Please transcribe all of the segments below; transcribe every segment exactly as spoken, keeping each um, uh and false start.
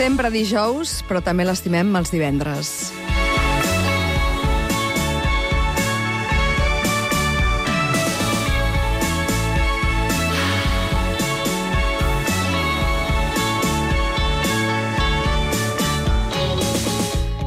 Sempre dijous, però també l'estimem els divendres.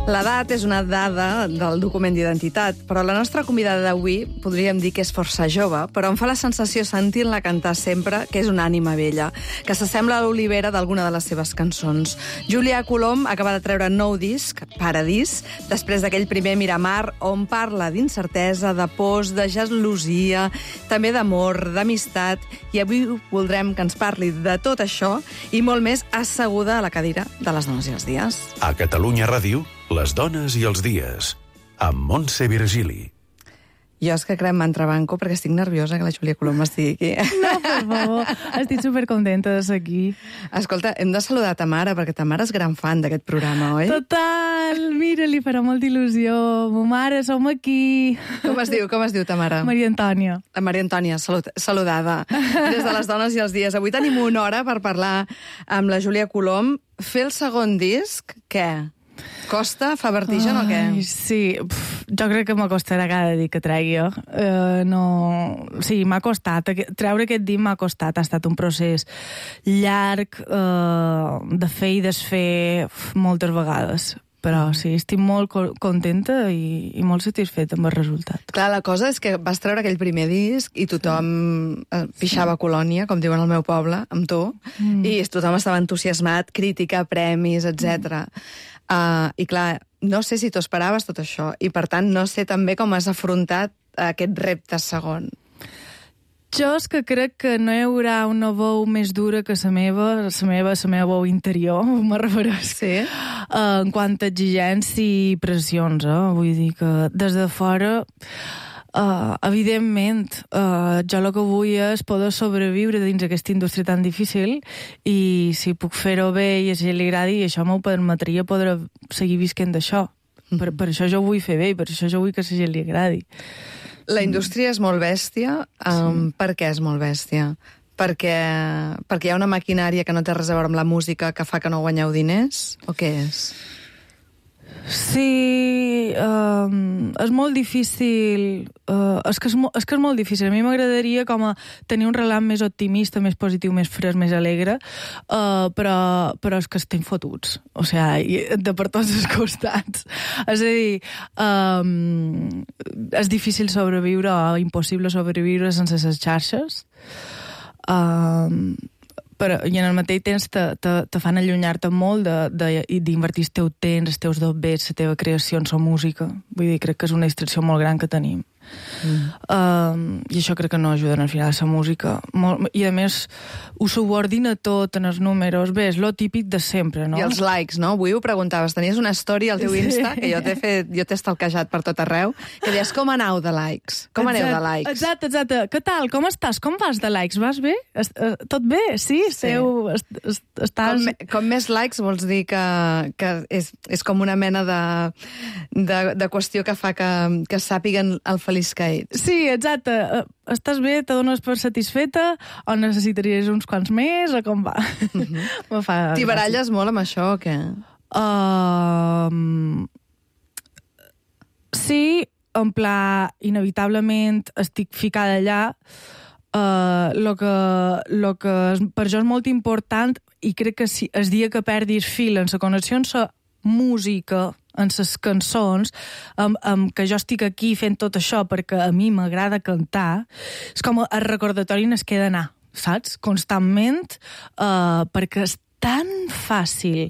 L'edat és una dada del document d'identitat, però la nostra convidada d'avui podríem dir que és força jove, però em fa la sensació, sentint-la cantar sempre, que és una ànima vella, que s'assembla a l'Olivera d'alguna de les seves cançons. Júlia Colom acaba de treure nou disc, Paradís, després d'aquell primer Miramar, on parla d'incertesa, de pors, de gelosia, també d'amor, d'amistat, i avui voldrem que ens parli de tot això i molt més asseguda a la cadira de les dones i els dies. A Catalunya Ràdio, les dones i els dies, amb Montse Virgili. Jo és que crec m'entrebanco perquè estic nerviosa que la Júlia Colom estigui aquí. No, per favor, estic supercontenta de ser aquí. Escolta, hem de saludar ta mare, perquè ta mare és gran fan d'aquest programa, oi? Total! Mira, li farà molta il·lusió. Ma mare, som aquí. Com es diu, com es diu ta mare? Maria Antònia. La Maria Antònia, salut, saludada. Des de les dones i els dies. Avui tenim una hora per parlar amb la Júlia Colom. Fer el segon disc, què? Costa? Fa vertigen o què? Ai, sí, Pff, jo crec que m'acostarà cada dia que tregui. Uh, no... Sí, m'ha costat. Treure aquest dia m'ha costat. Ha estat un procés llarg, uh, de fer i desfer moltes vegades. Però sí, estic molt contenta i, i molt satisfeta amb el resultat. Clar, la cosa és que vas treure aquell primer disc i tothom sí. pixava sí. colònia, com diuen al meu poble, amb tu, mm. i tothom estava entusiasmat, crítica, premis, etcètera. Mm. Uh, I clar, no sé si t'ho esperaves tot això, i per tant no sé també com has afrontat aquest repte segon. Jo és que crec que no hi haurà una veu més dura que la meva, la meva, la meva veu interior, me refereix. Sí? Uh, en quant a exigència i pressions, eh? Vull dir que des de fora... Uh, evidentment, uh, jo el que vull és poder sobreviure dins aquesta indústria tan difícil i si puc fer-ho bé i a gent li agradi, això m'ho permetria poder seguir visquent d'això. Mm. Per, per això jo vull fer bé i per això jo vull que a gent li agradi. La indústria és molt bèstia. Um, sí. Per què és molt bèstia? Perquè, perquè hi ha una maquinària que no té res a veure amb la música que fa que no guanyeu diners? O què és? Sí, um, és molt difícil. Uh, és, que és, mo és que és molt difícil. A mi m'agradaria com a tenir un relat més optimista, més positiu, més fresc, més alegre, uh, però, però és que estem fotuts. O sigui, de per tots els costats. És a dir, um, és difícil sobreviure o impossible sobreviure sense les xarxes. Um, Però, i en el mateix temps te, te, te fan allunyar-te molt d'invertir el teu temps, els teus dobbers, la teva creació en la música. Vull dir, crec que és una distracció molt gran que tenim. Mm. Um, I això crec que no ajuda al final a la música. Molt, I a més, ho subordina tot en els números. Bé, és lo típic de sempre, no? I els likes, no? Avui ho preguntaves. Tenies una story al teu Insta, sí. que jo t'he fet, jo t'he estalquejat per tot arreu, que deies, com aneu de likes? Com aneu de likes? Exacte, exacte. Què tal? Com estàs? Com vas de likes? Vas bé? Est uh, tot bé? Sí? sí. Esteu, est est estàs... Com, com més likes vols dir que, que és, és com una mena de, de, de qüestió que fa que, que sàpiguen el feliç que ets. Sí, exacte. Estàs bé? Te dones per satisfeta? O necessitaries uns quants més? O com va? Mm-hmm. fa T'hi baralles molt amb això o què? Uh, sí, en pla, inevitablement estic ficada allà. Uh, lo que, lo que per jo és molt important i crec que si el dia que perdis fil en la connexió amb la música, en les cançons, amb, amb que jo estic aquí fent tot això perquè a mi m'agrada cantar, és com el recordatori en es queda anar, saps? Constantment, uh, perquè és tan fàcil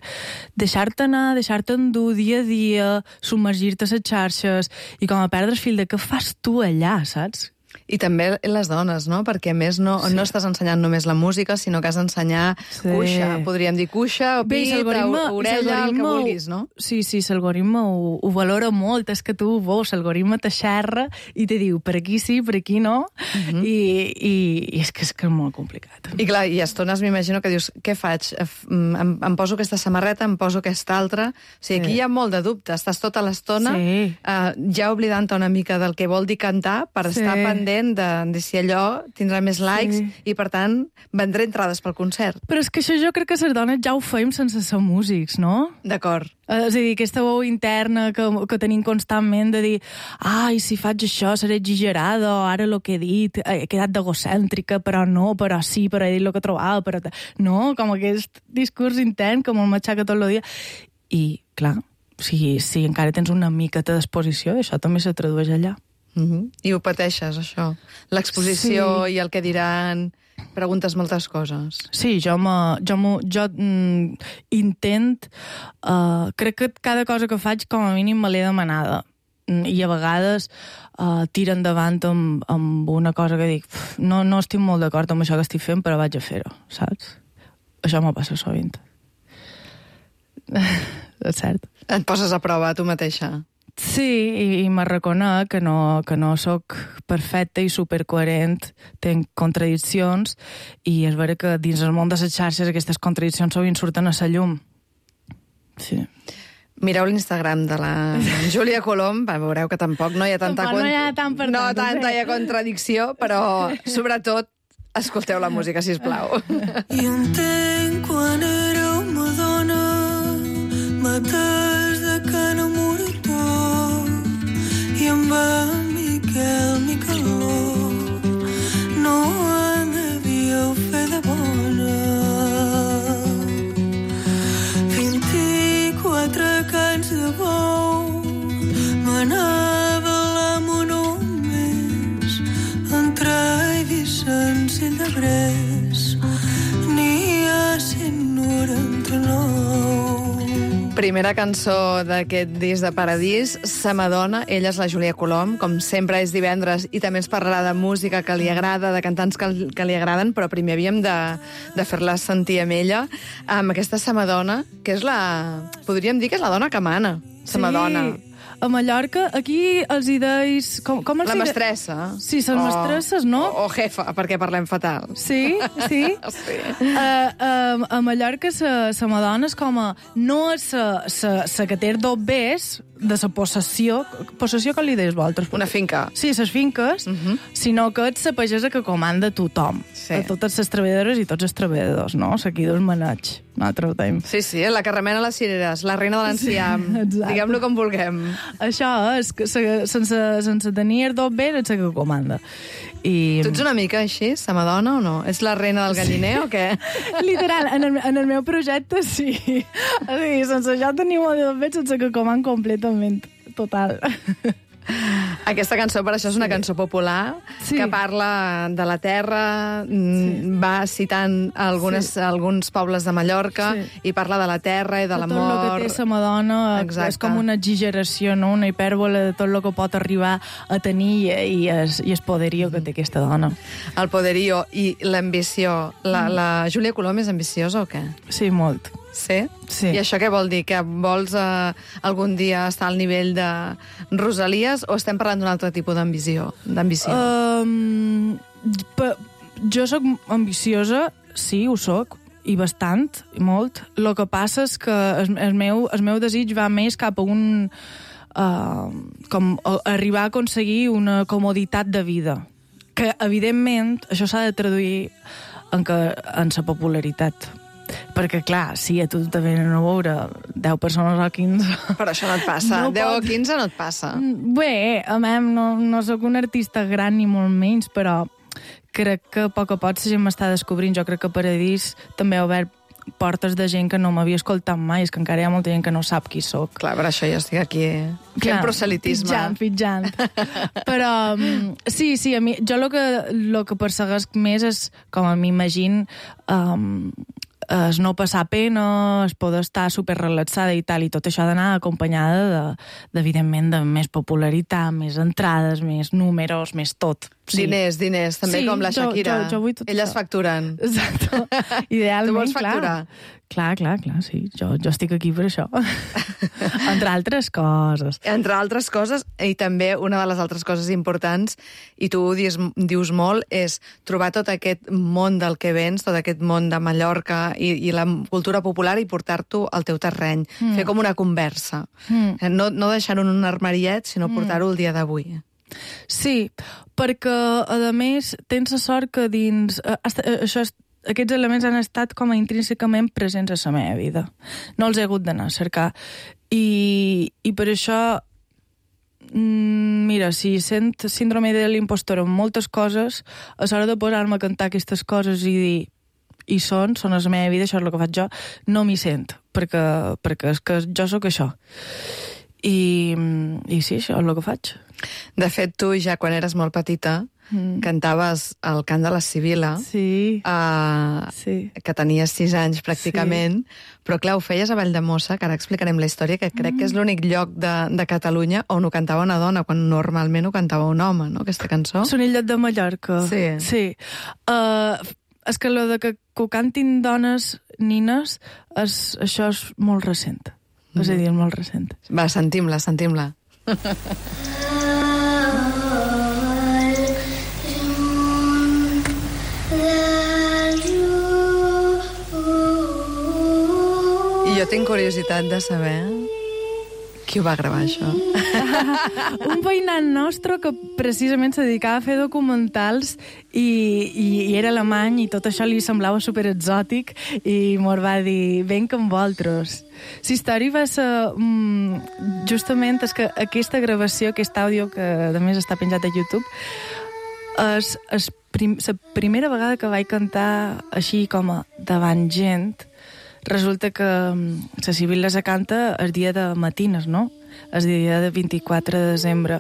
deixar-te anar, deixar-te endur dia a dia, submergir-te a les xarxes i com a perdre fil de què fas tu allà, saps? I també les dones, no? Perquè a més no, sí. no estàs ensenyant només la música, sinó que has d'ensenyar sí. cuixa. Podríem dir cuixa, o pit, orella, el que vulguis, no? Sí, sí, l'algoritme ho, ho valora molt. És que tu veus, l'algoritme te xerra i te diu per aquí sí, per aquí no. Uh-huh. I, i, I és que és que és molt complicat. I clar, i a estones m'imagino que dius, què faig? Em, em poso aquesta samarreta, em poso aquesta altra. O sigui, aquí sí. hi ha molt de dubte. Estàs tota l'estona sí. uh, ja oblidant-te una mica del que vol dir cantar per sí. estar pendent gent de, de si allò tindrà més likes Sí. i, per tant, vendré entrades pel concert. Però és que això jo crec que les dones ja ho fèiem sense ser músics, no? D'acord. Eh, És a dir, aquesta veu interna que, que tenim constantment de dir ai, si faig això seré exagerada, o ara el que he dit he quedat d'egocèntrica, però no, però sí, però he dit el que trobava, però... No, com aquest discurs intern que me'l matxaca tot el dia. I, clar, si, si encara tens una miqueta d'exposició, això també se tradueix allà. Uh-huh. I ho pateixes, això. L'exposició Sí. i el que diran... Preguntes moltes coses. Sí, jo, me, jo, me, jo mm, intent... Uh, crec que cada cosa que faig, com a mínim, me l'he demanada. Mm, I a vegades uh, tira endavant amb, amb una cosa que dic no, no estic molt d'acord amb això que estic fent, però vaig a fer-ho, saps? Això m'ho passa sovint. És cert. Et poses a prova tu mateixa. Sí, i, i me reconec que no, que no sóc perfecta i supercoherent, tenc contradiccions, i és vera que dins el món de les xarxes aquestes contradiccions sovint surten a la llum. Sí. Mireu l'Instagram de la Júlia Colom, va, veureu que tampoc no hi ha tanta, Tampoc no hi ha tant per no tant, tanta sí. hi ha contradicció, però sobretot escolteu la música, sisplau. I entenc quan éreu Madonna, mates de cana moritó, i amb en Miquel Micaló no en devíeu fer de bona. Vint-i-quatre cants de bou manava l'amo només entre Eivissa i Llebrers n'hi ha cent noranta-nou. Primera cançó d'aquest disc de Paradís, Sa Madonna. Ella és la Júlia Colom, com sempre és divendres, i també ens parlarà de música que li agrada, de cantants que, que li agraden, però primer havíem de, de fer-la sentir amb ella, amb aquesta Sa Madonna, que és la... podríem dir que és la dona que mana, Sa Madonna. Sí. A Mallorca, aquí els hi deis... Com, com els La hi de- mestressa. Sí, són mestresses, no? O, o jefa, perquè parlem fatal. Sí, sí. Sí. Uh, uh, a Mallorca sa, sa Madonna és com a... No és sa, sa, sa que té dos bés de sa possessió... Possessió que li deies vosaltres? Una finca. Sí, ses finques, uh -huh. sinó que ets sa pagesa que comanda tothom. Sí. A totes les treballadores i tots els treballadors, no? Sa qui dos maneig. Nosaltres ho Sí, sí, la que remena les cireres, la reina de l'enciam. Sí, exacte. Diguem-lo com vulguem. Això és que se, sense, sense tenir els dos bés ets la que comanda. I... Tu ets una mica així, Sa Madonna, o no? Ets la reina del galliner o què? Literal, en el, en el meu projecte sí. O sigui, sense això tenim el de fet sense que coman completament. Total. Aquesta cançó, per això, és una cançó popular, Sí. que parla de la terra, sí. va citant algunes, Sí. alguns pobles de Mallorca, Sí. i parla de la terra i de Tot l'amor. el que té sa Madonna Exacte. és com una exageració, no? Una hipèrbole de tot el que pot arribar a tenir i, i, es, i el poderio que té aquesta dona. El poderío i l'ambició. La, la Júlia Colom és ambiciosa o què? Sí, molt. Sí? Sí. I això què vol dir? Que vols eh, algun dia estar al nivell de Rosalies o estem parlant d'un altre tipus d'ambició? d'ambició? Um, pe- jo sóc ambiciosa, sí, ho sóc, i bastant, i molt. El que passa és que el, el, meu, el meu desig va més cap a un... Uh, com a, arribar a aconseguir una comoditat de vida. Que, evidentment, això s'ha de traduir en, que, en sa popularitat. Perquè, clar, si a tu te venen a veure deu persones o quinze... Però això no et passa. No deu o pot. quinze no et passa. Bé, a mi no, no sóc un artista gran ni molt menys, però crec que a poc a poc la gent m'està descobrint. Jo crec que Paradís també ha obert portes de gent que no m'havia escoltat mai, és que encara hi ha molta gent que no sap qui sóc. Clar, per això jo estic aquí fent proselitisme. Pitjant, pitjant. Però um, sí, sí, a mi, jo el que, lo que perseguesc més és, com a m'imagino, um, es no passar pena, es poder estar superrelaxada i tal, i tot això ha d'anar acompanyada de, de, evidentment, de més popularitat, més entrades, més números, més tot. Sí. Diners, diners, també Sí, com la jo- Shakira. jo- jo vull tot Elles això. facturen. Exacte. Idealment, Tu vols clar. facturar? Clar, clar, clar, sí. Jo, jo estic aquí per això. Entre altres coses. Entre altres coses, i també una de les altres coses importants, i tu ho dius, dius molt, és trobar tot aquest món del que vens, tot aquest món de Mallorca i, i la cultura popular i portar-t'ho al teu terreny. Mm. Fer com una conversa. Mm. No, no deixar-ho en un armariet, sinó portar-ho el dia d'avui. Sí, perquè, a més, tens la sort que dins... Eh, això, aquests elements han estat com a intrínsecament presents a la meva vida. No els he hagut d'anar a cercar. I, i per això, mira, si sent síndrome de l'impostor en moltes coses, a l'hora de posar-me a cantar aquestes coses i dir i són, són a la meva vida, això és el que faig jo, no m'hi sent, perquè, perquè és que jo sóc això. I, i sí, això és el que faig. De fet, tu ja quan eres molt petita mm. cantaves el cant de la Sibila, sí. Uh, sí. que tenies sis anys pràcticament, sí. però clar, ho feies a Valldemossa, que ara explicarem la història, que crec mm. que és l'únic lloc de, de Catalunya on ho cantava una dona, quan normalment ho cantava un home, no?, aquesta cançó. Sonillet de Mallorca. Sí. Sí. Uh, és que allò de que, que ho cantin dones, nines, és, això és molt recent. Mm. És a dir, és molt recent. Va, sentim-la, sentim-la. I jo tinc curiositat de saber qui ho va gravar, això. Un veïnat nostre que precisament se dedicava a fer documentals i, i, i era alemany i tot això li semblava superexòtic i mos va dir, venc amb vosaltres. La història va ser... Um, justament és que aquesta gravació, aquest àudio, que a més està penjat a YouTube, és, és prim, la primera vegada que vaig cantar així com a davant gent. Resulta que la Sibila se canta el dia de matines, no? El dia de vint-i-quatre de desembre.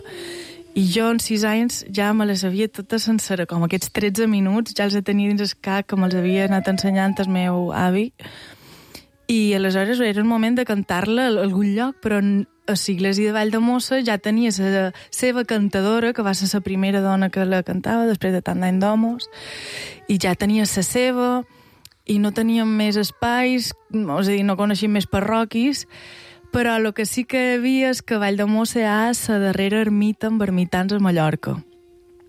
I jo, en sis anys, ja me les havia tota sencera, com aquests tretze minuts, ja els tenia dins el cap, que me'ls havia anat ensenyant el meu avi. I aleshores era el moment de cantar-la a algun lloc, però a l'església de Valldemossa ja tenia la seva cantadora, que va ser la primera dona que la cantava, després de tant d'any d'homos, i ja tenia la seva... i no teníem més espais, és a dir, no coneixíem més parroquis, però el que sí que hi havia és que Valldemossa hi ha la darrera ermita amb ermitans a Mallorca.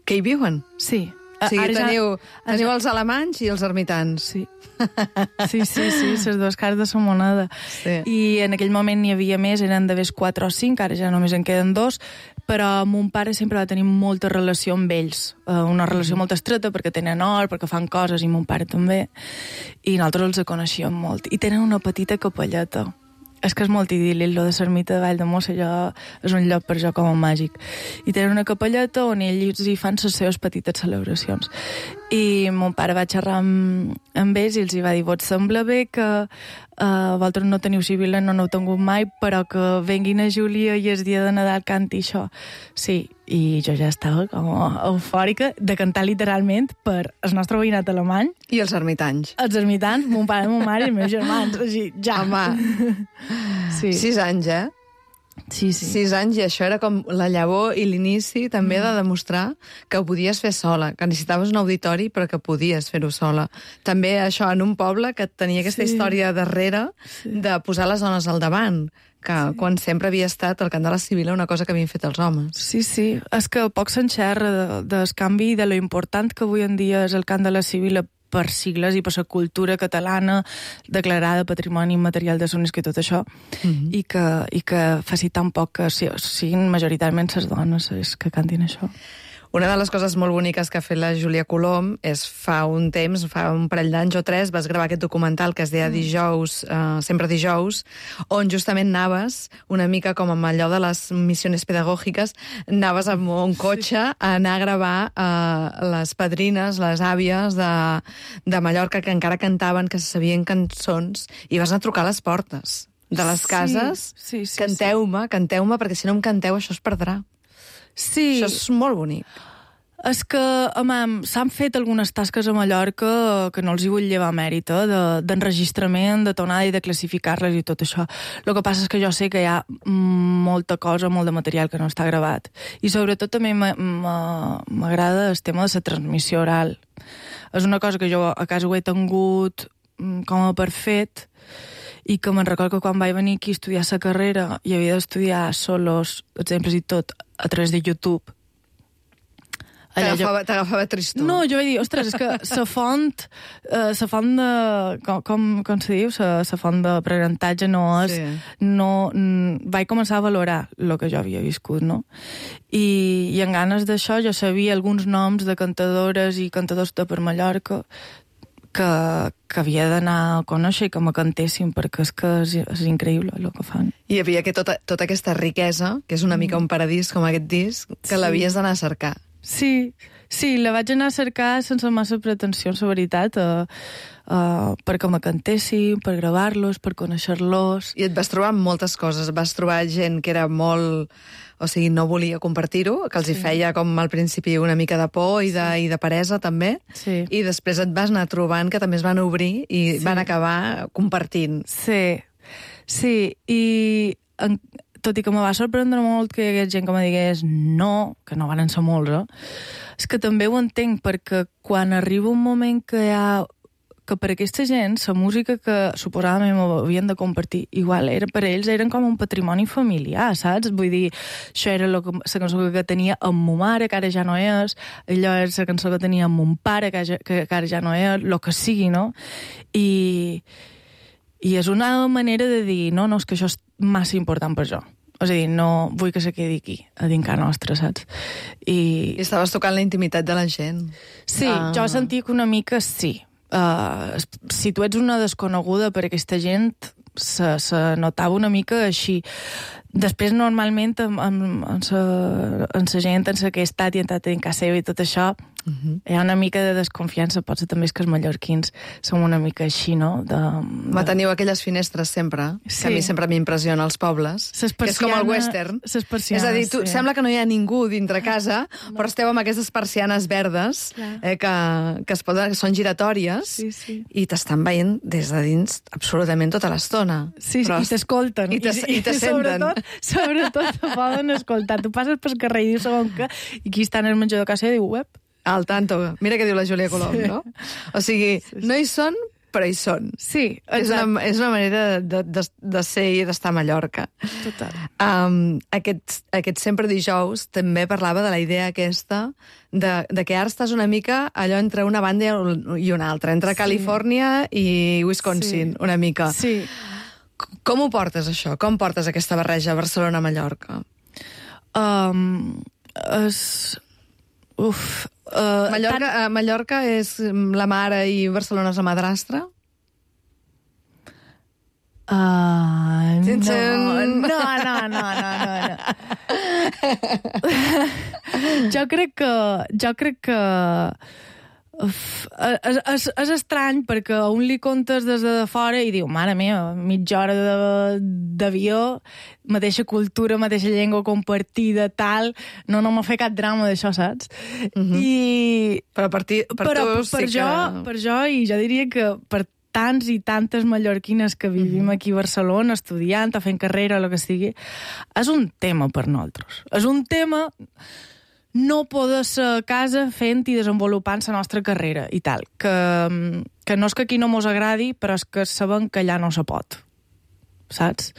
Que hi viuen? Sí. O sigui, Ara teniu, ja... teniu els alemanys i els ermitans. Sí. Sí, sí, sí, les dues cares de la moneda. Sí. I en aquell moment n'hi havia més, eren d'haver quatre o cinc, ara ja només en queden dos, però mon pare sempre va tenir molta relació amb ells, una relació mm-hmm. molt estreta, perquè tenen or, perquè fan coses, i mon pare també, i nosaltres els coneixíem molt. I tenen una petita capelleta. És que és molt idíl·lic, lo de l'ermita de Valldemossa, jo, és un lloc per jo com a màgic. I tenen una capelleta on ells hi fan les seves petites celebracions. I mon pare va xerrar amb, amb ells i els hi va dir, vos sembla bé que uh, vosaltres no teniu Sibila, no n'heu tingut mai, però que venguin a Júlia i el dia de Nadal canti això. Sí, i jo ja estava com eufòrica de cantar literalment per el nostre veïnat alemany. I els ermitans. Els ermitans, mon pare, mon mare i els meus germans. Així, ja. Home, sí. Sis anys, eh? Sí, sí. Sis anys, i això era com la llavor i l'inici també de demostrar que ho podies fer sola, que necessitaves un auditori però que podies fer-ho sola. També això en un poble que tenia aquesta sí. història darrere sí. de posar les dones al davant, que sí. quan sempre havia estat el cant de la Sibila una cosa que havien fet els homes. Sí, sí, és que poc s'enxerra de, del canvi i de lo important que avui en dia és el cant de la Sibila per sigles i per la cultura catalana declarada Patrimoni Immaterial de l'UNESCO i tot això, mm-hmm. i, que, i que faci tan poc que siguin majoritàriament les dones que cantin això. Una de les coses molt boniques que ha fet la Júlia Colom és fa un temps, fa un parell d'anys o tres, vas gravar aquest documental que es deia Dijous, uh, sempre dijous, on justament anaves una mica com amb allò de les missions pedagògiques, anaves amb un cotxe a anar a gravar uh, les padrines, les àvies de, de Mallorca que encara cantaven, que sabien cançons, i vas anar a trucar a les portes de les cases. Sí, sí, sí, canteu-me, sí. canteu-me, perquè si no em canteu això es perdrà. Sí. Això és molt bonic. És que, home, s'han fet algunes tasques a Mallorca que no els hi vull llevar mèrit, eh, d'enregistrament, de, de tornada i de classificar-les i tot això. El que passa és que jo sé que hi ha molta cosa, molt de material que no està gravat. I sobretot també m'agrada el tema de la transmissió oral. És una cosa que jo a casa ho he tingut com a per fet, i que me'n recordo que quan vaig venir aquí a estudiar la carrera i havia d'estudiar solos, exemples i tot, a través de YouTube, T'agafava, t'agafava tristor. No, jo vaig dir, ostres, és que la font, eh, la font de, com, com, com se diu, la font d'aprenentatge no és, sí. no, n, vaig començar a valorar el que jo havia viscut, no? I, i en ganes d'això jo sabia alguns noms de cantadores i cantadors de per Mallorca que, que havia d'anar a conèixer i que me cantessin, perquè és que és, és increïble el que fan. Hi havia que tota, tota aquesta riquesa, que és una mica un paradís com aquest disc, que sí. l'havies d'anar a cercar. Sí, sí, la vaig anar a cercar sense massa pretensions, la veritat, uh, uh, perquè me cantessin, per gravar-los, per conèixer-los. I et vas trobar amb moltes coses. Vas trobar gent que era molt... O sigui, no volia compartir-ho, que els sí. hi feia com al principi una mica de por i de, sí. i de peresa, també. Sí. I després et vas anar trobant que també es van obrir i sí. van acabar compartint. Sí, sí, i... En... tot i que me va sorprendre molt que hi hagués gent que me digués no, que no van ser molts, eh? És que també ho entenc, perquè quan arriba un moment que hi ha... que per aquesta gent, la música que suposadament havien de compartir, igual era, per ells eren com un patrimoni familiar, saps? Vull dir, això era la cançó que tenia amb ma mare, que ara ja no és, allò era la cançó que tenia amb mon pare, que, ja, que, que ara ja no és, el que sigui, no? I... I és una manera de dir, no, no, és que això és massa important per jo. És a dir, no vull que se quedi aquí, a dins casa nostra, saps? I... I estaves tocant la intimitat de la gent. Sí, ah. jo sentia que una mica sí. Uh, si tu ets una desconeguda per aquesta gent, se, se notava una mica així. Després, normalment, amb, amb, amb, sa, amb la gent en la que he estat i he entrat en casa seva i tot això, uh-huh. hi ha una mica de desconfiança. Potser també és que els mallorquins som una mica així, no? De, de... Ma teniu aquelles finestres sempre, sí. que a mi sempre m'impressiona als pobles, que és com el western. És a dir, tu, sí. sembla que no hi ha ningú dintre casa, no. però esteu amb aquestes persianes verdes eh, que, que, es poden, que són giratòries sí, sí. i t'estan veient des de dins absolutament tota l'estona. Sí, sí, i t'escolten. I, i, i te senten. Sobretot, sobretot te poden escoltar. Tu passes pel carrer i dius segon que... I aquí està en el menjador de casa i diu, web. Al tanto. Mira què diu la Júlia Colom, sí. no? O sigui, sí, sí. no hi són, però hi són. Sí, és una, és una manera de, de, de ser i d'estar a Mallorca. Total. Um, aquest, aquest Sempre Dijous també parlava de la idea aquesta de, de que ara estàs una mica allò entre una banda i una altra, entre sí. Califòrnia i Wisconsin, sí. una mica. Sí. Com ho portes, això? Com portes aquesta barreja Barcelona-Mallorca? Um, és... Uf... Uh, Mallorca, tan... uh, Mallorca és la mare i Barcelona és la madrastra? Uh, no, no, no, no, no, no. jo crec que... Jo crec que... Uf, és, és, és estrany perquè a un li contes des de fora i diu, mare meva, mitja hora d'avió, mateixa cultura, mateixa llengua compartida, tal, no, no m'ha fet cap drama d'això, saps? Uh-huh. I... Però per, ti, per però, tu per sí jo, que... Per jo, i jo diria que per tants i tantes mallorquines que vivim uh-huh. aquí a Barcelona, estudiant o fent carrera o el que sigui, és un tema per nosaltres. És un tema... no poder ser a casa fent i desenvolupant la nostra carrera i tal. Que, que no és que aquí no mos agradi, però és que sabem que allà no se pot. Saps?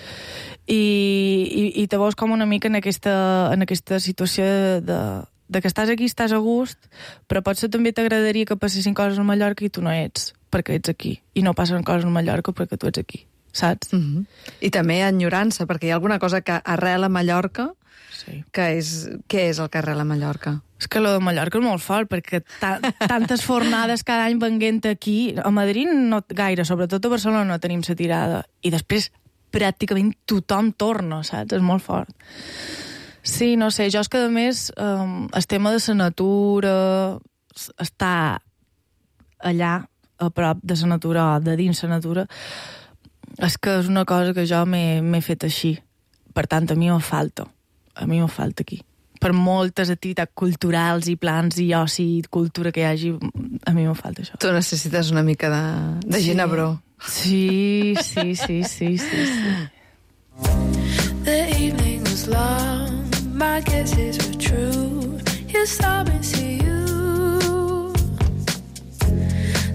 I, i, i te veus com una mica en aquesta, en aquesta situació de, de, de que estàs aquí, estàs a gust, però potser també t'agradaria que passessin coses a Mallorca i tu no ets, perquè ets aquí. I no passen coses a Mallorca perquè tu ets aquí. Saps? Mm-hmm. I també enyorança, perquè hi ha alguna cosa que arrela a Mallorca. Sí. Que és, què és el que arrela a Mallorca? És que lo de Mallorca és molt fort, perquè ta tantes fornades cada any venguent aquí. A Madrid no gaire, sobretot a Barcelona no tenim la tirada. I després pràcticament tothom torna, saps? És molt fort. Sí, no sé, jo és que a més um, el tema de la natura, estar allà a prop de la natura o de dins la natura, és que és una cosa que jo m'he fet així. Per tant, a mi em falta. A mi em falta aquí. Per moltes activitats culturals i plans i oci i cultura que hi hagi, a mi em falta això. Tu necessites una mica de, de sí. ginebró. Sí, sí, sí, sí, sí, sí. The evening was long, my guesses were true. You saw me see you.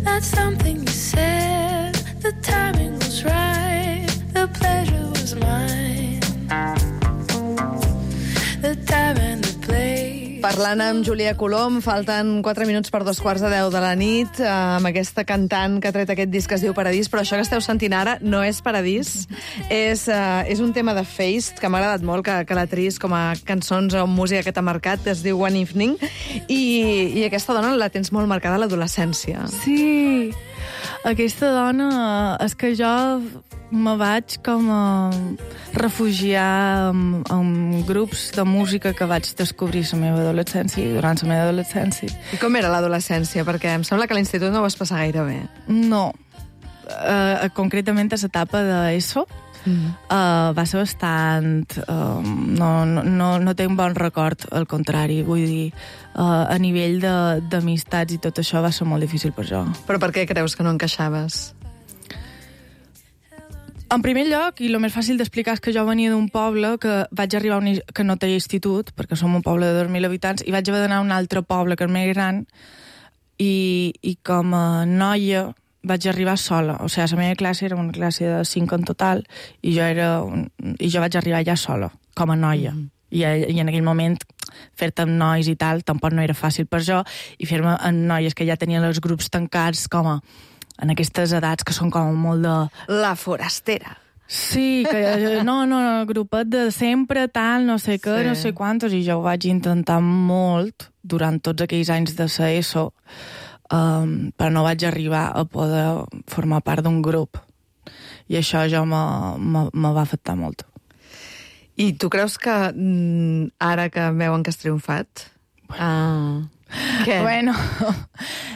That's something you said. The timing was right. The pleasure was mine. Parlant amb Júlia Colom, falten quatre minuts per dos quarts de deu de la nit, eh, amb aquesta cantant que ha tret aquest disc que es diu Paradís, però això que esteu sentint ara no és Paradís, és, eh, és un tema de Feist, que m'ha agradat molt, que, que la tris com a cançons o música que t'ha marcat, es diu One Evening, i, i aquesta dona la tens molt marcada a l'adolescència. Sí, aquesta dona, és que jo me vaig com a refugiar en, en grups de música que vaig descobrir a la meva adolescència i durant la meva adolescència. I com era l'adolescència? Perquè em sembla que a l'institut no ho vas passar gaire bé. No, uh, concretament a l'etapa d'ESO, mm. uh, va ser bastant... Uh, no, no, no tinc bon record, al contrari, vull dir, uh, a nivell d'amistats i tot això va ser molt difícil per jo. Però per què creus que no encaixaves? En primer lloc, i el més fàcil d'explicar és que jo venia d'un poble que vaig arribar a un, que no tenia institut, perquè som un poble de dos mil habitants, i vaig haver d'anar a un altre poble que és més gran, i, i com a noia vaig arribar sola. O sigui, la meva classe era una classe de cinc en total, i jo, era un, i jo vaig arribar ja sola, com a noia. Mm. I, I en aquell moment fer-te amb nois i tal tampoc no era fàcil per jo, i fer-me amb noies que ja tenien els grups tancats com a en aquestes edats que són com molt de... La forastera. Sí, que no, no, grupet de sempre, tal, no sé què, sí. No sé quantos, i jo ho vaig intentar molt durant tots aquells anys de la ESO, um, però no vaig arribar a poder formar part d'un grup. I això jo me, me, me va afectar molt. I tu creus que mm, ara que veuen que has triomfat... Ah... Què? Bueno,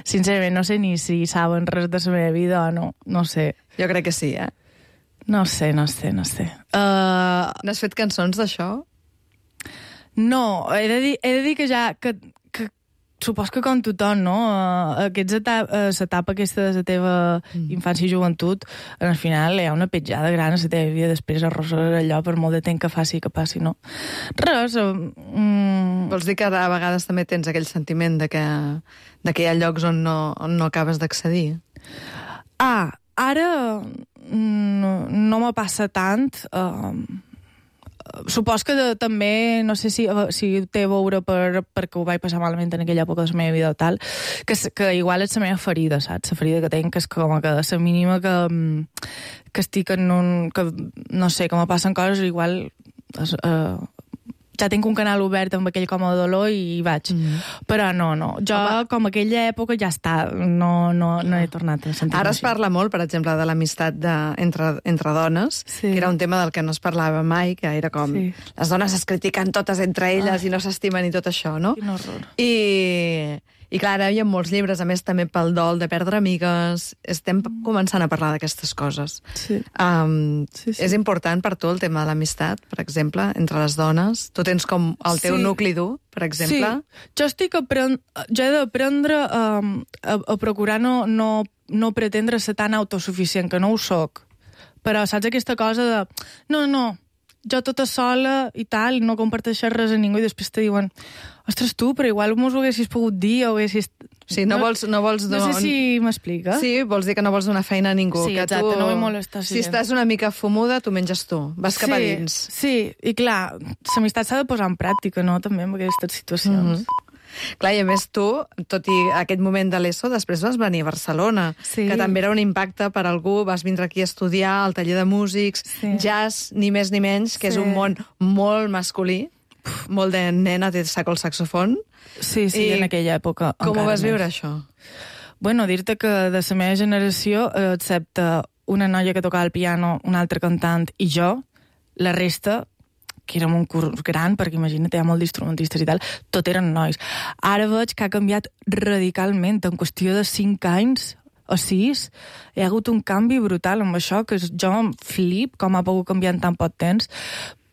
sincerament no sé ni si saben res de la meva vida o no, no sé. Jo crec que sí, eh? No sé, no sé, no sé. Uh... N'has fet cançons d'això? No, he de dir, he de dir que ja... Que, que supos que com tothom, no? Uh, aquests etapa, uh, l'etapa aquesta de la teva mm. infància i joventut, al final hi ha una petjada gran a la teva vida, després arrossegues allò per molt de temps que faci que passi, no? Res... Uh, mm... Vols dir que a vegades també tens aquell sentiment de que, de que hi ha llocs on no, on no acabes d'accedir? Ah, ara no, no me passa tant... Uh, Supos que de, també, no sé si, si té a veure per, perquè ho vaig passar malament en aquella època de la meva vida o tal, que, que igual és la meva ferida, saps? La ferida que tinc, que és com que la mínima que, que estic en un... que, no sé, que me passen coses, igual... Eh, ja tinc un canal obert amb aquell com a dolor i hi vaig. Mm. Però no, no. Jo, Home. com aquella època, ja està. No, no, no he tornat a sentir-me Ara es així. parla molt, per exemple, de l'amistat de, entre, entre dones, sí. que era un tema del que no es parlava mai, que era com... Sí. Les dones es critiquen totes entre elles ah. i no s'estimen i tot això, no? Quin horror. I... I clar, ara hi ha molts llibres, a més també pel dol de perdre amigues. Estem començant a parlar d'aquestes coses. Sí. Um, sí, sí. És important per tu el tema de l'amistat, per exemple, entre les dones? Tu tens com el teu sí. nucli dur, per exemple? Sí, jo estic aprend... jo he d'aprendre um, a, a procurar no, no, no pretendre ser tan autosuficient, que no ho soc. Però saps aquesta cosa de... No, no, jo tota sola i tal, no comparteixes res a ningú i després te diuen ostres, tu, però igual mos ho haguessis pogut dir o haguessis... Sí, no, no vols... No, vols no sé si m'explica. Sí, vols dir que no vols donar feina a ningú. Sí, que exacte, tu... no vull molestar. Si estàs una mica fumuda, tu menges tu. Vas cap a dins. Sí, i clar, l'amistat s'ha de posar en pràctica, no?, també en aquestes situacions. Mm-hmm. Clar, i a més tu, tot i aquest moment de l'ESO, després vas venir a Barcelona, sí. que també era un impacte per algú, vas vindre aquí a estudiar al taller de músics, sí. jazz, ni més ni menys, que sí. és un món molt masculí, molt de nena de saco el saxofon. Sí, sí, I en aquella època. Com ho vas més. viure, això? Bueno, dir-te que de la meva generació, excepte una noia que tocava el piano, un altre cantant i jo, la resta... que érem un curs gran, perquè imagina't, hi ha molt d'instrumentistes i tal, tot eren nois. Ara veig que ha canviat radicalment, en qüestió de cinc anys o sis, hi ha hagut un canvi brutal amb això, que jo em flip com ha pogut canviar en tan poc temps,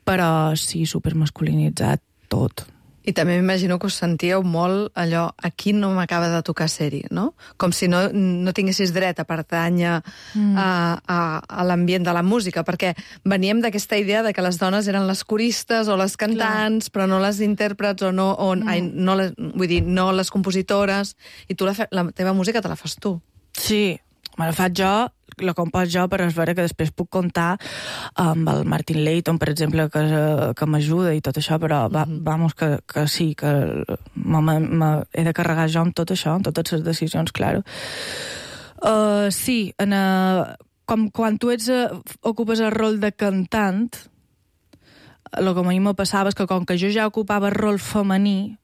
però sí, supermasculinitzat tot. I també m'imagino que us sentíeu molt allò, aquí no m'acaba de tocar ser-hi, no? Com si no, no tinguessis dret a pertànyer mm. a, a, a l'ambient de la música, perquè veníem d'aquesta idea de que les dones eren les coristes o les cantants, Clar. però no les intèrprets o no, o, mm. ai, no les, vull dir, no les compositores, i tu la, fe, la teva música te la fas tu. Sí, me la faig jo, la compòs jo, però és vera que després puc comptar amb el Martin Layton, per exemple, que, que m'ajuda i tot això, però va, mm-hmm. vamos, que, que sí, que he de carregar jo amb tot això, amb totes les decisions, claro. Uh, sí, en, uh, com quan tu ets, uh, ocupes el rol de cantant, el que a mi me passava és que com que jo ja ocupava el rol femení,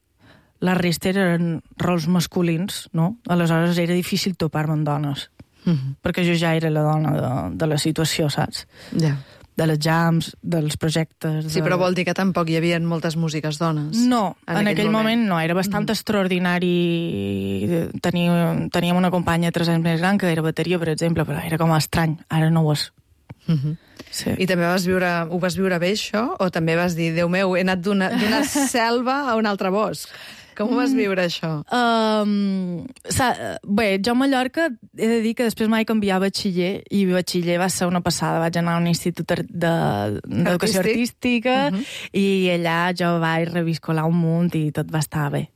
la resta eren rols masculins, no? Aleshores era difícil topar-me amb dones. Mm-hmm. Perquè jo ja era la dona de, de la situació, saps? Ja. De les jams, dels projectes... Sí, de... però vol dir que tampoc hi havia moltes músiques dones. No, en, en aquell, aquell moment. moment no, era bastant mm-hmm. extraordinari. Teníem, teníem una companya tres anys més gran que era bateria, per exemple, però era com estrany, ara no ho és. Mm-hmm. Sí. I també vas viure, ho vas viure bé, això? O també vas dir, Déu meu, he anat d'una selva a un altre bosc? Com ho vas viure, això? Um, bé, jo a Mallorca he de dir que després mai canviar batxiller, i batxiller va ser una passada. Vaig anar a un institut d'educació Artístic? artística uh-huh. i allà jo vaig reviscolar un munt i tot va estar bé.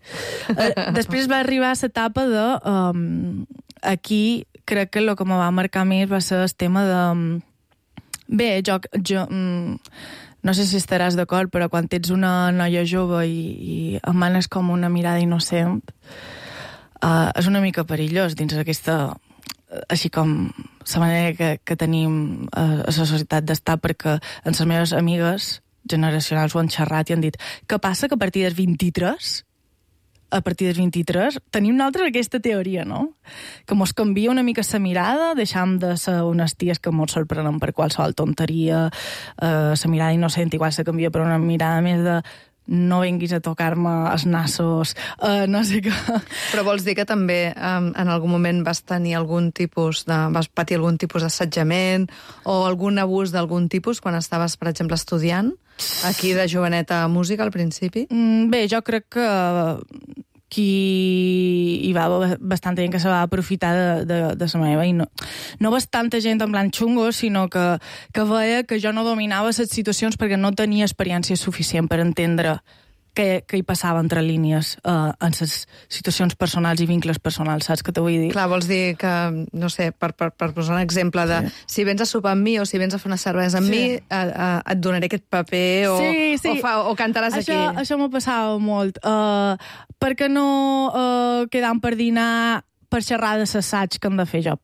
uh, després va arribar l'etapa de... Um, aquí crec que el que me va marcar més va ser el tema de... Bé, jo... jo um, no sé si estaràs d'acord, però quan ets una noia jove i, i emanes com una mirada innocent, uh, és una mica perillós dins d'aquesta... Així com la manera que, que tenim a, a la societat d'estar, perquè en les meves amigues generacionals ho han xerrat i han dit què passa que a partir dels vint-i-tres a partir dels vint-i-tres, tenim nosaltres aquesta teoria, no? Que mos canvia una mica la mirada, deixam de ser unes ties que mos sorprenen per qualsevol tonteria, eh, la mirada innocent igual se canvia per una mirada més de no vinguis a tocar-me els nassos, uh, no sé què. Però vols dir que també um, en algun moment vas tenir algun tipus de... vas patir algun tipus d'assetjament o algun abús d'algun tipus quan estaves, per exemple, estudiant aquí de joveneta a música al principi? Mm, bé, jo crec que qui hi va bastanta gent que se va aprofitar de, de, de la meva, i no, no bastanta gent en plan xungo, sinó que, que veia que jo no dominava les situacions perquè no tenia experiència suficient per entendre què, què hi passava entre línies uh, en les situacions personals i vincles personals, saps què t'ho vull dir? Clar, vols dir que, no sé, per, per, per posar un exemple de sí. si vens a sopar amb mi o si vens a fer una cervesa amb sí. mi, uh, uh, et donaré aquest paper o, sí, sí. o, fa, o cantaràs això, aquí. Això m'ho passava molt. Uh, per què no uh, quedam per dinar per xerrar de l'assaig que hem de fer jo?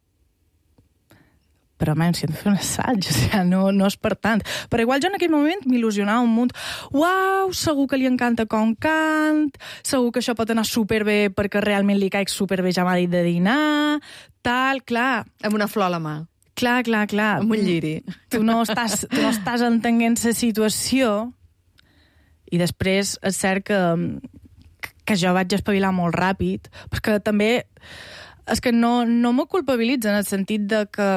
Però, man, si hem de fer un assaig, o sigui, no, no és per tant. Però igual jo en aquell moment m'il·lusionava un munt. Uau, segur que li encanta com cant, segur que això pot anar superbé perquè realment li caic superbé, ja m'ha dit de dinar, tal, clar. Amb una flor a la mà. Clar, clar, clar. Amb un lliri. Tu no estàs, tu no estàs entenent la situació i després és cert que, que jo vaig espavilar molt ràpid, perquè també és que no, no m'ho culpabilitza en el sentit de que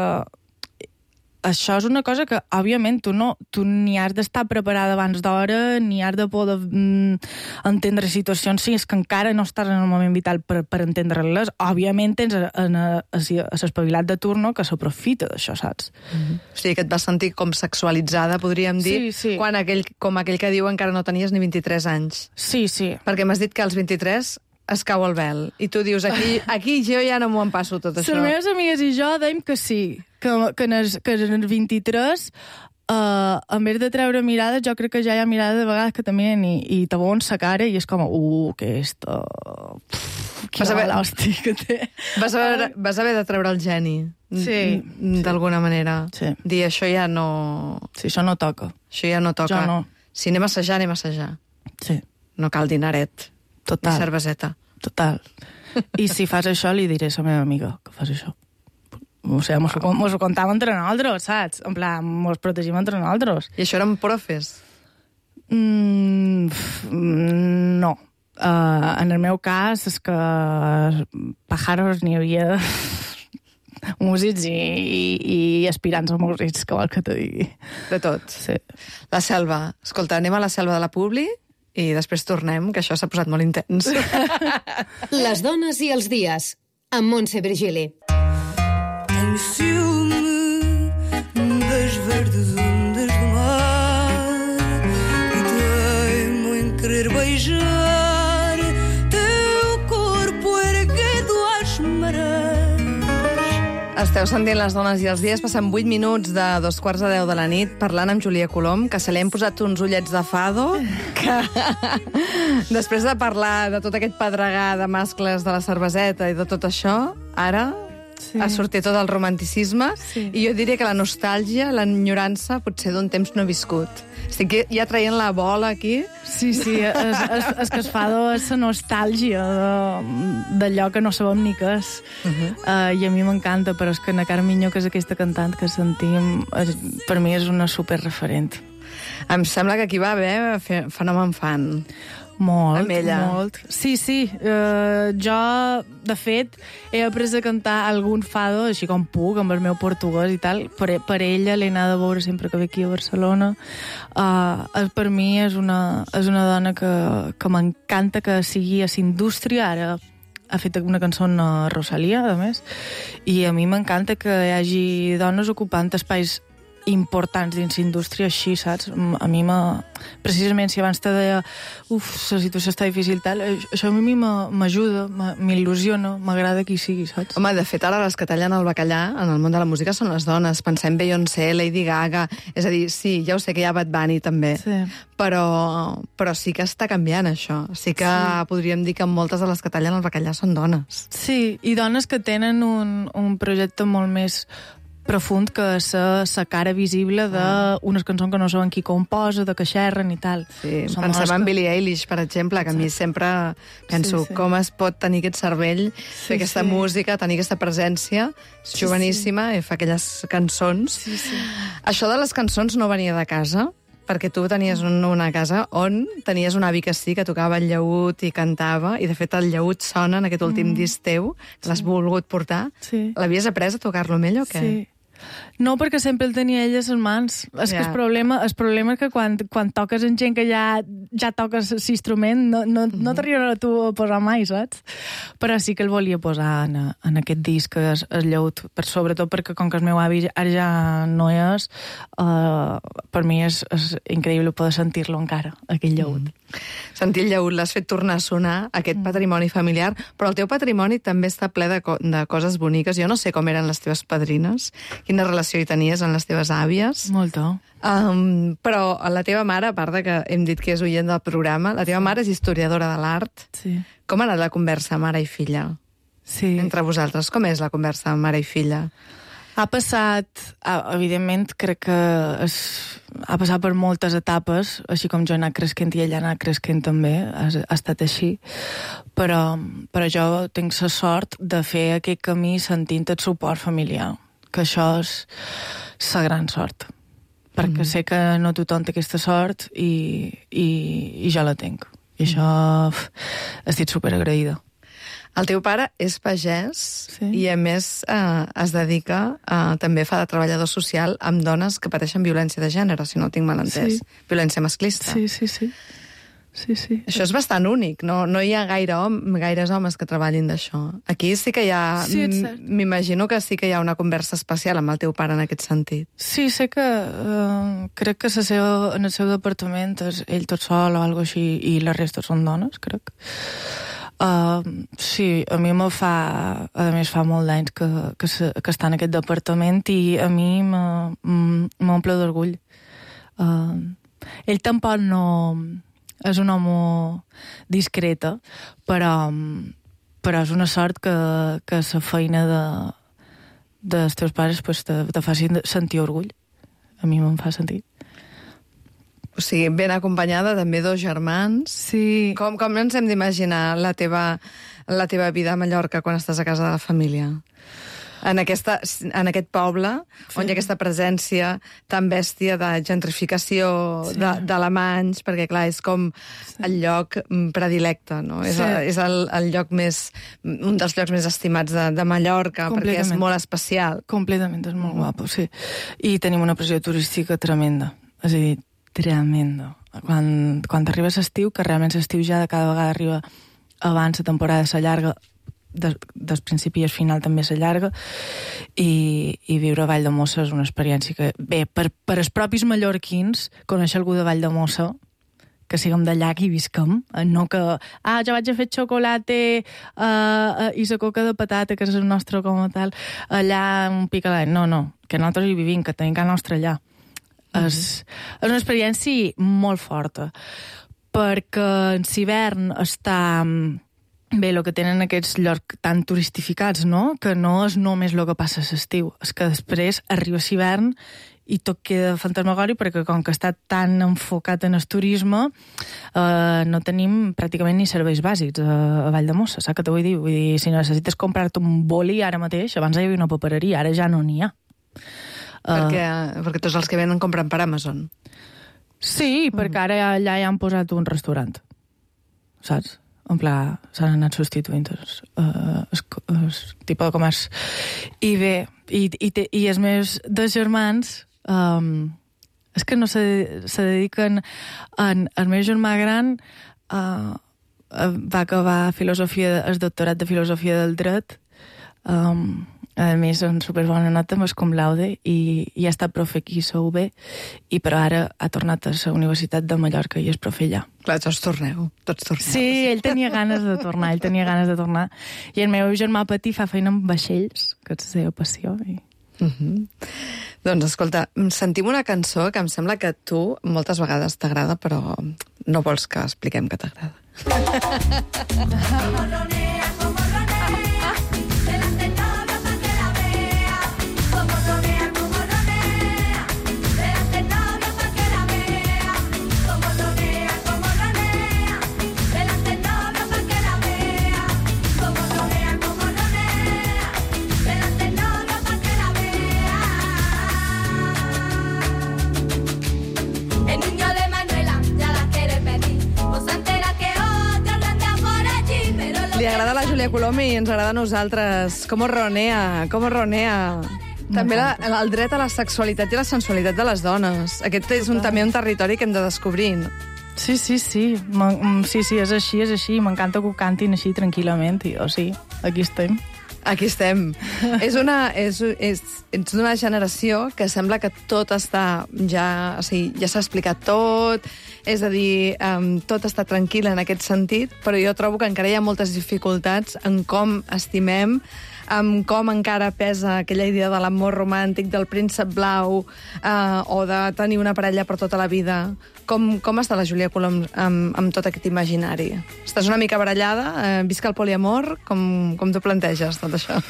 això és una cosa que, òbviament, tu, no, tu ni has d'estar preparada abans d'hora, ni has de poder mm, entendre situacions, si és que encara no estàs en el moment vital per, per entendre-les. Òbviament tens l'espavilat de turno que s'aprofita d'això, saps? Mm-hmm. O sigui, que et vas sentir com sexualitzada, podríem dir, sí, sí. quan aquell, com aquell que diu encara no tenies ni vint-i-tres anys. Sí, sí. Perquè m'has dit que als vint-i-tres es cau el vel. I tu dius, aquí, aquí jo ja no m'ho en passo tot això. Les meves amigues i jo dèiem que sí, que, que, en els, que en els vint-i-tres, uh, en vez de treure mirades, jo crec que ja hi ha mirades de vegades que també i, i te veuen sa cara i és com, uh, que esto... Quina mala hòstia que té. Vas haver, vas haver de treure el geni, sí, d'alguna sí. manera. Sí. Dir, això ja no... Sí, això no toca. Això ja no toca. Jo no. Si anem a assajar, anem a assajar. Sí. No cal dinaret. Total. Ni cerveseta. Total. I si fas això, li diré a la meva amiga que fas això. O sigui, mos, mos ho contàvem entre nosaltres, saps? En plan, mos protegim entre nosaltres. I això eren profes? Mm, no. Uh, en el meu cas és que pájaros n'hi havia músics i, i, i aspirants a músics, que vol que te digui. De tot? Sí. La selva. Escolta, anem a la selva de la Publi i després tornem, que això s'ha posat molt intens. Les dones i els dies, amb Montse Virgili. Tenho ciúme das verdes ondas do mar e teimo em querer beijar teu corpo erguido às marés. Esteu sentint Les dones i els dies. Passen vuit minuts de dos quarts de deu de la nit parlant amb Júlia Colom, que se li hem posat uns ullets de fado, que després de parlar de tot aquest pedregar de mascles de la cerveseta i de tot això, ara sí. ha sortit tot el romanticisme sí. i jo diria que la nostàlgia, l'enyorança, potser d'un temps no viscut. Estic ja traient la bola aquí. Sí, sí, és, és, és que es fa és la nostàlgia d'allò que no sabem ni què és. Uh -huh. uh, I a mi m'encanta, però és que na Carmiño, que és aquesta cantant que sentim, és, per mi és una superreferent. Em sembla que aquí va haver fenomen fan. Molt, molt. Sí, sí. Uh, jo, de fet, he après a cantar algun fado, així com puc, amb el meu portuguès i tal. Per, per ella l'he anat a veure sempre que ve aquí a Barcelona. Uh, per mi és una, és una dona que, que m'encanta que sigui a l'indústria. Ara ha fet una cançó a Rosalia, a més. I a mi m'encanta que hi hagi dones ocupant espais importants dins l'indústria així, saps? A mi m'ha... Precisament, si abans te deia uf, la situació està difícil, tal, això a mi m'ajuda, m'il·lusiona, m'agrada qui sigui, saps? Home, de fet, ara les que tallen el bacallà en el món de la música són les dones. Pensem Beyoncé, Lady Gaga... És a dir, sí, ja ho sé que hi ha Bad Bunny també, sí. però, però sí que està canviant això. Sí que sí. podríem dir que moltes de les que tallen el bacallà són dones. Sí, i dones que tenen un, un projecte molt més profund que la, la cara visible d'unes cançons que no saben qui composa, de que xerren i tal. Sí, Som pensem en que... Billie Eilish, per exemple, que a mi sempre penso sí, sí. com es pot tenir aquest cervell, sí, fer aquesta sí. música, tenir aquesta presència, és sí, joveníssima, sí. i fa aquelles cançons. Sí, sí. Això de les cançons no venia de casa, perquè tu tenies un, una casa on tenies un avi que sí, que tocava el llaüt i cantava, i de fet el llaüt sona en aquest últim mm. disc teu, que l'has sí. volgut portar. Sí. L'havies après a tocar-lo amb ell o què? Sí. No, perquè sempre el tenia ell a les mans. És yeah. que el problema, el problema és que quan, quan toques amb gent que ja, ja toques l'instrument, no, no, mm-hmm. no t'arribarà a tu a posar mai, saps? Però sí que el volia posar en, en aquest disc, que és el llaüt, per, sobretot perquè com que el meu avi ara ja no és, uh, per mi és, és increïble poder sentir-lo encara, aquell llaüt. Mm. Sentir el llaüt, l'has fet tornar a sonar, aquest mm. patrimoni familiar, però el teu patrimoni també està ple de, co de coses boniques. Jo no sé com eren les teves padrines, quina relació hi tenies amb les teves àvies. Molta. Um, però la teva mare, a part de que hem dit que és oient del programa, la teva mare és historiadora de l'art. Sí. Com ha anat la conversa mare i filla? Sí. Entre vosaltres, com és la conversa mare i filla? Ha passat, evidentment, crec que és, ha passat per moltes etapes, així com jo he anat cresquent i ella ha anat cresquent també, ha, ha estat així, però, però jo tinc la sort de fer aquest camí sentint el suport familiar, que això és la gran sort, perquè mm. sé que no tothom té aquesta sort i, i, i jo la tinc. I això uf, estic superagraïda. El teu pare és pagès sí. i, a més, eh, es dedica, eh, també fa de treballador social amb dones que pateixen violència de gènere, si no ho tinc mal entès. Sí. Violència masclista. Sí, sí, sí. sí, sí. Això és bastant únic. No, no hi ha gaire hom, gaires homes que treballin d'això. Aquí sí que hi ha... Sí, m'imagino que sí que hi ha una conversa especial amb el teu pare en aquest sentit. Sí, sé que... Uh, crec que la seva, en el seu departament és ell tot sol o alguna cosa així, i la resta són dones, crec. Uh, sí, a mi me fa... A més, fa molt d'anys que, que, se, que està en aquest departament i a mi m'omple d'orgull. Uh, ell tampoc no... És un home discreta, però, però és una sort que, que la feina de, dels teus pares pues, te, te faci sentir orgull. A mi me'n fa sentir. O sigui, ben acompanyada, també dos germans. Sí. Com, com ens hem d'imaginar la teva, la teva vida a Mallorca quan estàs a casa de la família? En, aquesta, en aquest poble, sí. on hi ha aquesta presència tan bèstia de gentrificació sí. d'alemanys, perquè, clar, és com sí. el lloc predilecte, no? Sí. És, el, és el, el lloc més... un dels llocs més estimats de, de Mallorca, perquè és molt especial. Completament, és molt guapo, sí. I tenim una pressió turística tremenda. És a dir, tremenda. Quan, quan arribes a estiu, que realment l'estiu ja cada vegada arriba abans, la temporada s'allarga, des, des principi al final també s'allarga, i, i viure a Valldemossa és una experiència que, bé, per, per els propis mallorquins, conèixer algú de Valldemossa, que siguem d'allà que hi visquem, no que, ah, jo vaig a fer xocolate uh, uh, i la coca de patata, que és el nostre com a tal, allà un picalet. No, no, que nosaltres hi vivim, que tenim casa nostra allà. Mm-hmm. És, és una experiència molt forta, perquè en l'hivern està... Bé, el que tenen aquests llocs tan turistificats, no? Que no és només el que passa a l'estiu, és que després arriba l'hivern i tot queda fantasmagòric perquè com que està tan enfocat en el turisme eh, no tenim pràcticament ni serveis bàsics a, a Valldemossa, saps què t'ho vull dir? Vull dir, si necessites comprar-te un boli ara mateix, abans hi havia una papereria, ara ja no n'hi ha. Perquè, uh, perquè tots els que venen compren per Amazon. Sí, mm. perquè ara allà ja han posat un restaurant, saps? En pla, s'han anat substituint els, uh, els, els tipus de comerç. I bé, i, i, te, i els meus dos germans um, és que no se, se dediquen en, el meu germà gran uh, va acabar filosofia, el doctorat de filosofia del dret, um, a més en superbona nota amb el cum laude i, i ha estat profe aquí a U B, i però ara ha tornat a la Universitat de Mallorca i és profe allà. Clar, tots torneu, tots torneu. Sí, ell tenia ganes de tornar, ell tenia ganes de tornar. I el meu germà petit fa feina amb vaixells, que és la seva passió. I... Uh-huh. Doncs escolta, sentim una cançó que em sembla que a tu moltes vegades t'agrada, però no vols que expliquem que t'agrada. Li agrada la Júlia Colom i ens agrada a nosaltres. Com ronea, com ronea. També la, el dret a la sexualitat i la sensualitat de les dones. Aquest és un, també un territori que hem de descobrir. Sí, sí, sí. Sí, sí, és així, és així. M'encanta que ho cantin així tranquil·lament. I, o sí, aquí estem. Aquí estem. és una, és, és, ets d'una generació que sembla que tot està ja... O sigui, ja s'ha explicat tot, és a dir, um, tot està tranquil en aquest sentit, però jo trobo que encara hi ha moltes dificultats en com estimem, amb com encara pesa aquella idea de l'amor romàntic, del príncep blau, eh, o de tenir una parella per tota la vida. Com, com està la Júlia Colom amb, amb tot aquest imaginari? Estàs una mica barallada? Eh, visca el poliamor? Com, com t'ho planteges, tot això?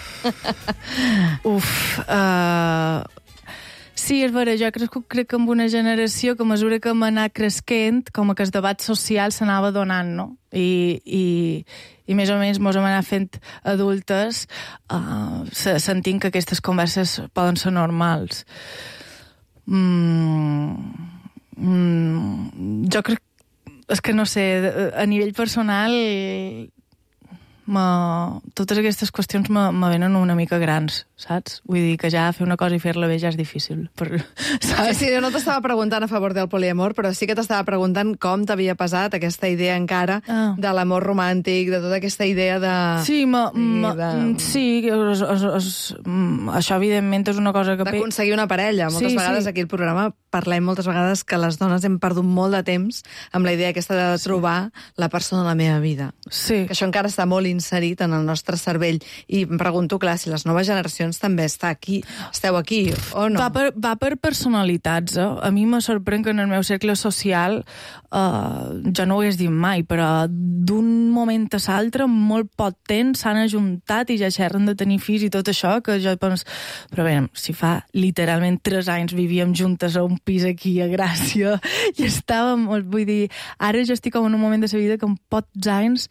Uf... Uh... Sí, és vera, jo crec, crec que amb una generació que a mesura que hem anat cresquent, com que el debat social s'anava donant, no? I, i, i més o menys mos hem anat fent adultes uh, sentint que aquestes converses poden ser normals. Mm, mm, jo crec... És que no sé, a nivell personal... Ma... totes aquestes qüestions me, me venen una mica grans, saps? Vull dir que ja fer una cosa i fer-la bé ja és difícil. Per... Saps? Sí, jo no t'estava preguntant a favor del poliamor, però sí que t'estava preguntant com t'havia passat aquesta idea encara ah. de l'amor romàntic, de tota aquesta idea de... Sí, ma, ma, de... sí es, es, es, això evidentment és una cosa que... D'aconseguir una parella. Moltes sí, vegades sí. Aquí al programa parlem moltes vegades que les dones hem perdut molt de temps amb la idea aquesta de trobar sí. la persona de la meva vida. Sí. Que això encara està molt inserit en el nostre cervell. I em pregunto, clar, si les noves generacions també està aquí, esteu aquí, o no? Va per, va per personalitats, eh? A mi me sorprèn que en el meu cercle social, eh, jo no ho hagués dit mai, però d'un moment a l'altre, molt poc temps, s'han ajuntat i ja xerren de tenir fills i tot això, que jo penso... Però bé, si fa literalment tres anys vivíem juntes a un pis aquí a Gràcia i estàvem, vull dir, ara jo estic en un moment de la vida que en pocs anys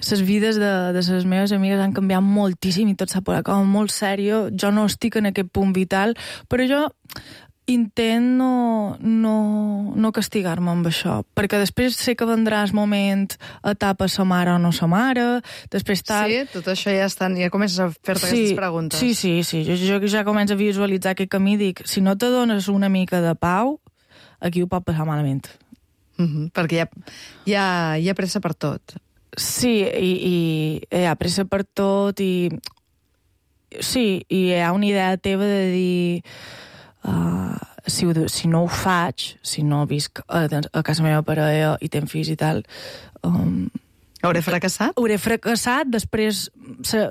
les vides de, de les meves amigues han canviat moltíssim i tot s'ha posat com molt sèrio. Jo no estic en aquest punt vital, però jo intent no, no, no castigar-me amb això, perquè després sé que vendrà el moment, etapa sa mare o no sa mare, després tal... Sí, tot això ja estan, ja comences a fer-te sí, aquestes preguntes. Sí, sí, sí, jo, jo ja començo a visualitzar aquest camí, dic, si no te dones una mica de pau, aquí ho pot passar malament. Mm-hmm, perquè hi ha, hi, ha, hi ha pressa per tot. Sí, i, i hi ha pressa per tot i... Sí, i hi ha una idea teva de dir... Uh, si, ho, si no ho faig, si no visc a, a casa meva parella i tenc fills i tal, um, hauré fracassat? Hauré fracassat, després se,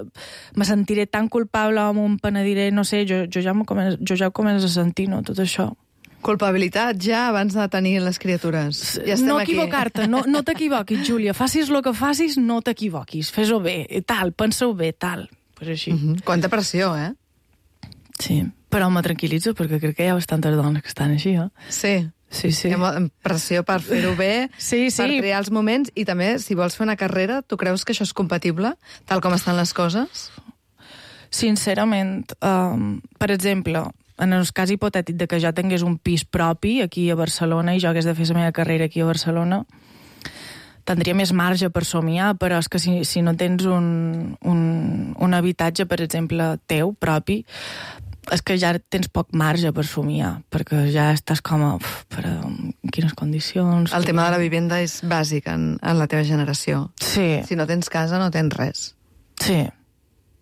me sentiré tan culpable o em penediré, no sé, jo, jo, ja, començo, jo ja ho començo a sentir, no?, tot això. Culpabilitat ja abans de tenir les criatures. Ja estem no aquí. equivocar-te, no, no t'equivoquis, Júlia. Facis el que facis, no t'equivoquis. Fes-ho bé, tal, pensa-ho bé, tal. Pues així. Mm-hmm. Quanta pressió, eh? Sí, però me tranquil·litzo perquè crec que hi ha bastantes dones que estan així, eh? Sí. Sí, sí. Hi ha pressió per fer-ho bé, sí, sí. per triar els moments, i també, si vols fer una carrera, tu creus que això és compatible, tal com estan les coses? Sincerament, um, per exemple, en el cas hipotètic de que jo tingués un pis propi aquí a Barcelona i jo hagués de fer la meva carrera aquí a Barcelona, tindria més marge per somiar, però és que si, si no tens un, un, un habitatge, per exemple, teu, propi, és que ja tens poc marge per somiar, perquè ja estàs com a... Uf, però en quines condicions... El tema de la vivenda és bàsic en, en la teva generació. Sí. Si no tens casa, no tens res. Sí.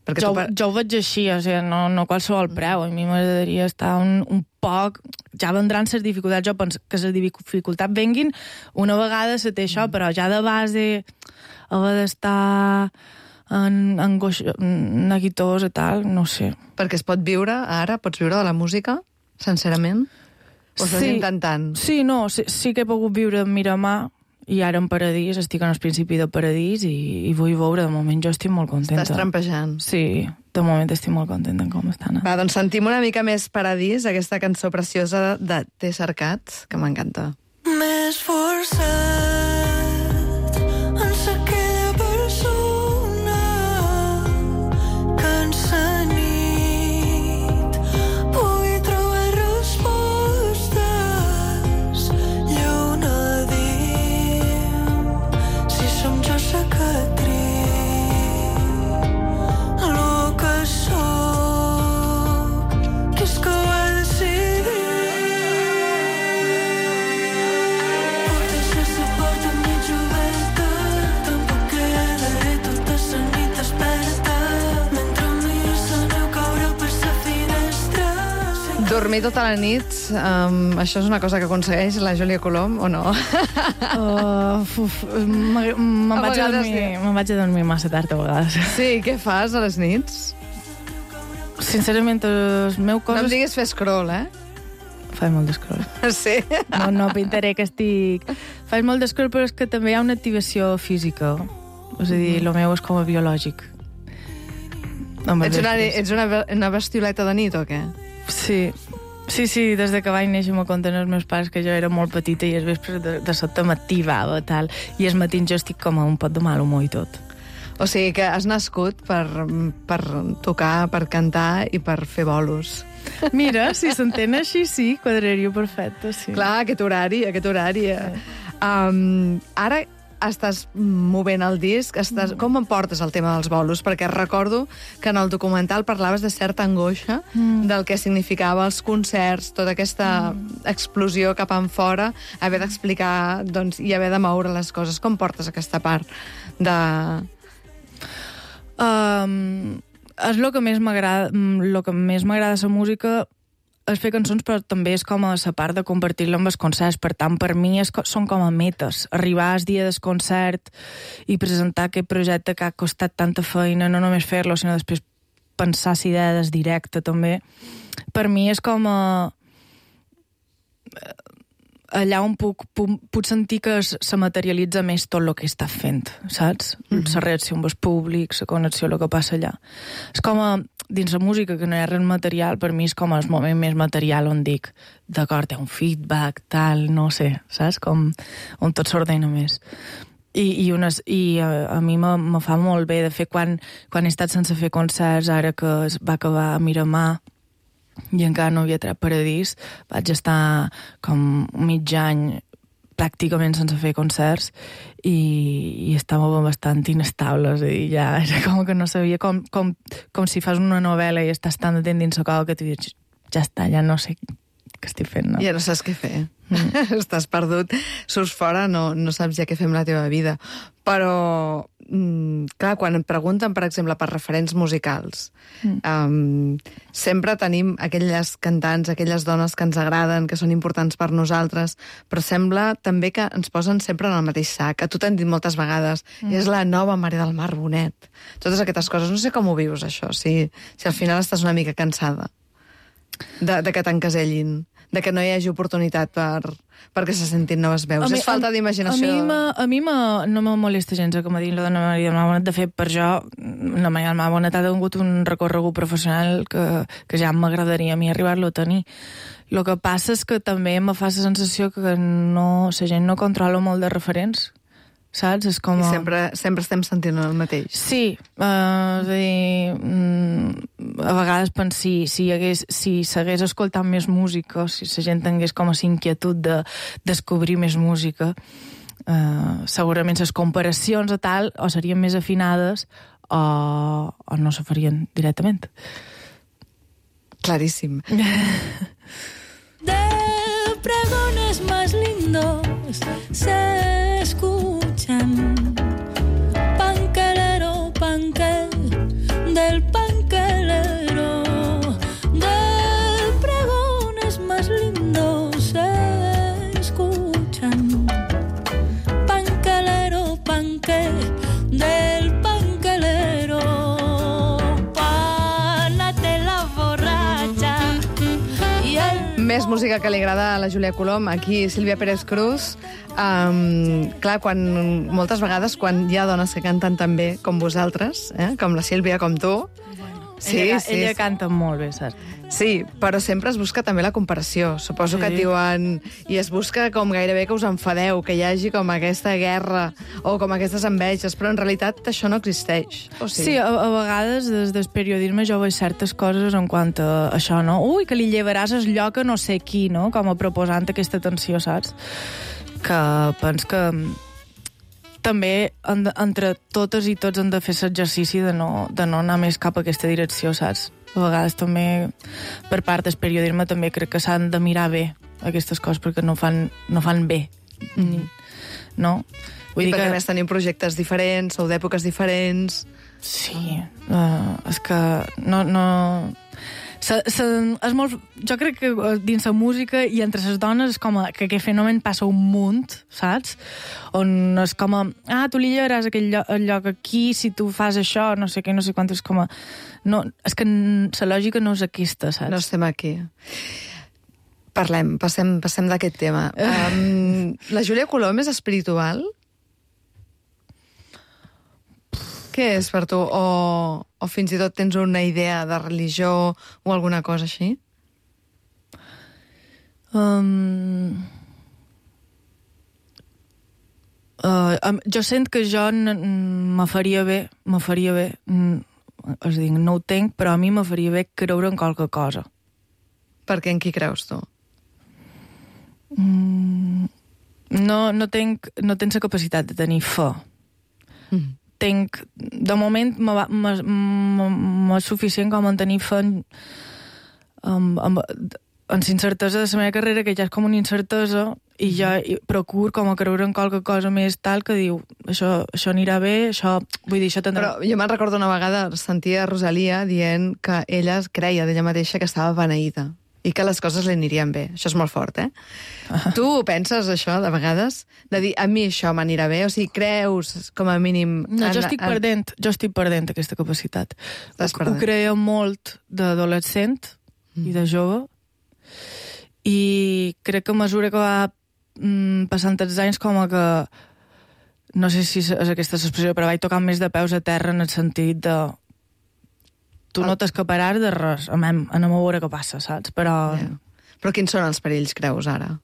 Perquè jo, tu... jo ho veig així, o sigui, no, no qualsevol preu. A mi m'agradaria estar un, un poc... Ja vendran les dificultats, jo penso que les dificultats venguin una vegada se té això, però ja de base haver d'estar en angoix, neguitós i tal, no sé. Perquè es pot viure, ara, pots viure de la música, sincerament? O estàs sí, intentant? Sí, no, sí, sí que he pogut viure en Miramar, i ara en Paradís, estic en el principi de Paradís i, i vull veure, de moment jo estic molt contenta. Estàs trampejant. Sí, de moment estic molt contenta en com estan. Va, doncs sentim una mica més Paradís, aquesta cançó preciosa de T'he cercat, que m'encanta. M'he esforçat en ser aquella persona que en sa nit pugui trobar respostes. Lluna, diem si som jo sa que tric lo que soc, que és que ho he decidit. Dormir tota la nit, um, això és una cosa que aconsegueix la Júlia Colom, o no? Uh, uf, me- me'n A vaig, a vegades dormir, sí. me'n vaig a dormir massa tard a vegades. Sí, què fas a les nits? Sincerament, el meu cos... No em diguis fer scroll, eh? Faig molt d'escroll. Sí. No, no pintaré que estic... Faig molt d'escroll, però és que també hi ha una activació física. És a dir, el meu és com a biològic. Amb els Ets una, vespres. ets una, una bestioleta de nit, o què? Sí. Sí, sí, des de que vaig néixer m'ho conten els meus pares que jo era molt petita i els vespres de, de sobte m'activava, tal, i els matins jo estic com a un pot de mal humor i tot. O sigui que has nascut per, per tocar, per cantar i per fer bolos. Mira, si s'entén així, sí, quadraria perfecte, sí. Clar, aquest horari, aquest horari. Eh? Um, ara estàs movent el disc, estàs... com em portes el tema dels bolos? Perquè recordo que en el documental parlaves de certa angoixa mm. del que significava els concerts, tota aquesta mm. explosió cap enfora, haver d'explicar, doncs, i haver de moure les coses. Com portes aquesta part de... Um, és el que més m'agrada, el que més m'agrada la música és fer cançons, però també és com a la part de compartir-la amb els concerts. Per tant, per mi és, són com a metes. Arribar al dia del concert i presentar aquest projecte que ha costat tanta feina, no només fer-lo, sinó després pensar la idea del directe, també. Per mi és com a... allà on puc, puc, puc sentir que se materialitza més tot el que està fent, saps? Mm -hmm. La reacció amb els públics, la connexió, el que passa allà. És com a, dins la música, que no hi ha res material, per mi és com el moment més material on dic, d'acord, hi ha un feedback, tal, no sé, saps? Com on tot s'ordena més. I, i, unes, i a, a mi me, me fa molt bé, de fet, quan, quan he estat sense fer concerts, ara que es va acabar a Miramar, i encara no havia tret Paradís, vaig estar com mig any pràcticament sense fer concerts i, i estava bastant inestable, és a dir, ja era com que no sabia, com, com, com si fas una novel·la i estàs tan atent dins la cova que tu dius, ja està, ja no sé què estic fent, no? Ja no saps què fer. Mm. Estàs perdut, surts fora, no, no saps ja què fer amb la teva vida. Però, mm, clar, quan et pregunten, per exemple, per referents musicals, mm. um, sempre tenim aquelles cantants, aquelles dones que ens agraden, que són importants per nosaltres, però sembla també que ens posen sempre en el mateix sac. A tu t'han dit moltes vegades, mm. és la nova Maria del Mar Bonet. Totes aquestes coses, no sé com ho vius, això, si, si al final estàs una mica cansada de, de que t'encasellin, de que no hi hagi oportunitat per, perquè se sentin noves veus. A mi, és falta d'imaginació. A mi, ma, a mi ma, no me molesta gens que me diguin la dona Maria del Mar Bonet. De fet, per jo, la Maria del Mar Bonet ha tingut un recorregut professional que, que ja m'agradaria a mi arribar-lo a tenir. El que passa és que també me fa la sensació que no, la gent no controla molt de referents, saps? És com... I sempre, sempre estem sentint el mateix. Sí, uh, és a dir, mm, a vegades penso si, si, hagués, si s'hagués escoltat més música, si la gent tingués com a inquietud de descobrir més música, uh, segurament les comparacions a tal o serien més afinades o, o no se farien directament. Claríssim. De pregones más lindos se escuchan. Panquelero, panquel, del panquelero. De pregones más lindos se escuchan. Panquelero, panquel, del panquelero. Pánate la borracha. Més música que li agrada a la Júlia Colom, aquí Sílvia Pérez Cruz. Um, clar, quan, moltes vegades quan hi ha dones que canten tan bé com vosaltres, eh, com la Sílvia, com tu... Sí, ella, sí, ella sí. canta molt bé, saps? Sí, però sempre es busca també la comparació. Suposo Sí. que et diuen... I es busca com gairebé que us enfadeu, que hi hagi com aquesta guerra o com aquestes enveges, però en realitat això no existeix. O Sí, a, a vegades des del periodisme jo veig certes coses en quant a això, no? Ui, que li llevaràs el lloc a no sé qui, no? Com a proposant aquesta tensió, saps? Que pens que també en, entre totes i tots hem de fer l'exercici de, no, de no anar més cap a aquesta direcció, saps? A vegades també, per part del periodisme, també crec que s'han de mirar bé aquestes coses perquè no fan, no fan bé. Mm. No? Vull I perquè que... més tenim projectes diferents, sou d'èpoques diferents... Sí, uh, és que no... no... Se, se, és molt, jo crec que dins la música i entre les dones és com a, que aquest fenomen passa un munt, saps? On és com a, ah, tu li llevaràs aquell lloc, el lloc aquí si tu fas això, no sé què, no sé quant, és com a... No, és que la lògica no és aquesta, saps? No estem aquí. Parlem, passem, passem d'aquest tema. Um, la Júlia Colom és espiritual? Què és per tu? O, o fins i tot tens una idea de religió o alguna cosa així? Um, uh, um, jo sent que jo me faria bé, me faria bé, és a dir, no ho tenc, però a mi me faria bé creure en qualque cosa. Perquè en qui creus tu? Mm, no, no tenc, no tenc la capacitat de tenir fe. Mm. Tenc, de moment m'és suficient com en tenir fe en, en, en, en incertesa de la meva carrera, que ja és com una incertesa, i ja procuro com a creure en qualque cosa més tal que diu, això, això anirà bé, això, vull dir, això tindrà... Però jo me'n recordo una vegada sentir a Rosalia dient que ella creia d'ella mateixa que estava beneïda i que les coses li anirien bé. Això és molt fort, eh? Ah. Tu penses això, de vegades? De dir, a mi això m'anirà bé? O sigui, creus, com a mínim... No, en, jo estic en... perdent, jo estic perdent aquesta capacitat. Estàs ho, perdent. Ho creia molt d'adolescent mm. i de jove, i crec que a mesura que va mm, passant els anys, com a que... No sé si és aquesta expressió, però vaig tocant més de peus a terra en el sentit de... Tu no t'escaparàs de res, anem, anem a veure què passa, saps? Però... Yeah. Però quins són els perills, creus, ara?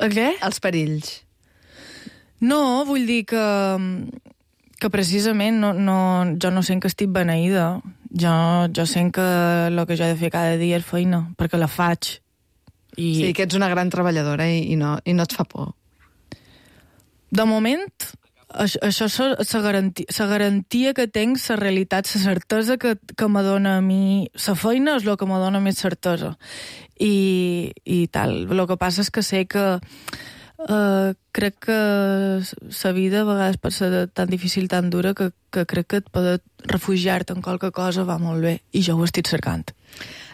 El què? Els perills. No, vull dir que, que precisament no, no, jo no sent que estic beneïda. Jo, jo sent que el que jo he de fer cada dia és feina, perquè la faig. I... Sí, que ets una gran treballadora i, i, no, i no et fa por. De moment, això, això és la garantia, la garantia que tinc, la realitat, la certesa que, que me dona a mi la feina és el que me dona més certesa. I, i tal. El que passa és que sé que uh, crec que la vida a vegades pot ser tan difícil, tan dura, que, que crec que et poder refugiar-te en qualque cosa va molt bé, i jo ho estic cercant.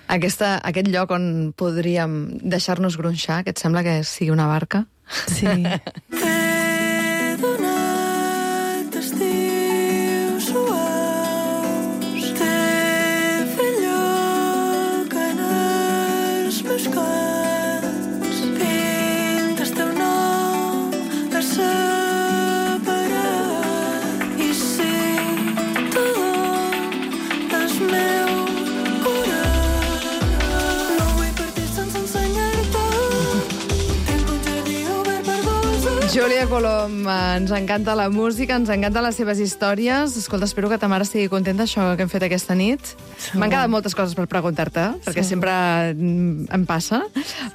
Aquesta, aquest lloc on podríem deixar-nos gronxar, que et sembla que sigui una barca? Sí. T'he donat estius suaus, t'he fet lloc en els meus cants, pintes teu nom de separat, i si tu és meu curat, no vull partir sense ensenyar-te. Júlia Colom, ens encanta la música, ens encanten les seves històries. Escolta, espero que ta mare estigui contenta d'això que hem fet aquesta nit. M'han quedat moltes coses per preguntar-te, perquè sempre em passa,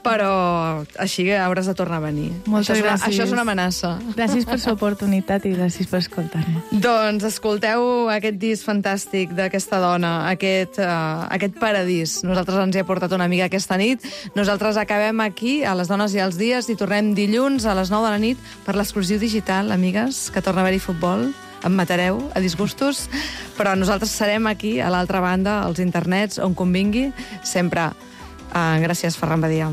però així hauràs de tornar a venir. Moltes això és una, gràcies. Això és una amenaça. Gràcies per l'oportunitat i gràcies per escoltar-me. Doncs escolteu aquest disc fantàstic d'aquesta dona, aquest, uh, aquest paradís. Nosaltres ens hi ha portat una amiga aquesta nit. Nosaltres acabem aquí, a Les Dones i els Dies, i tornem dilluns a les nou de la nit per l'exclusiu digital, amigues, que torna a haver-hi futbol. Em matareu a disgustos, però nosaltres serem aquí, a l'altra banda, als internets, on convingui, sempre. Uh, gràcies, Ferran Badia.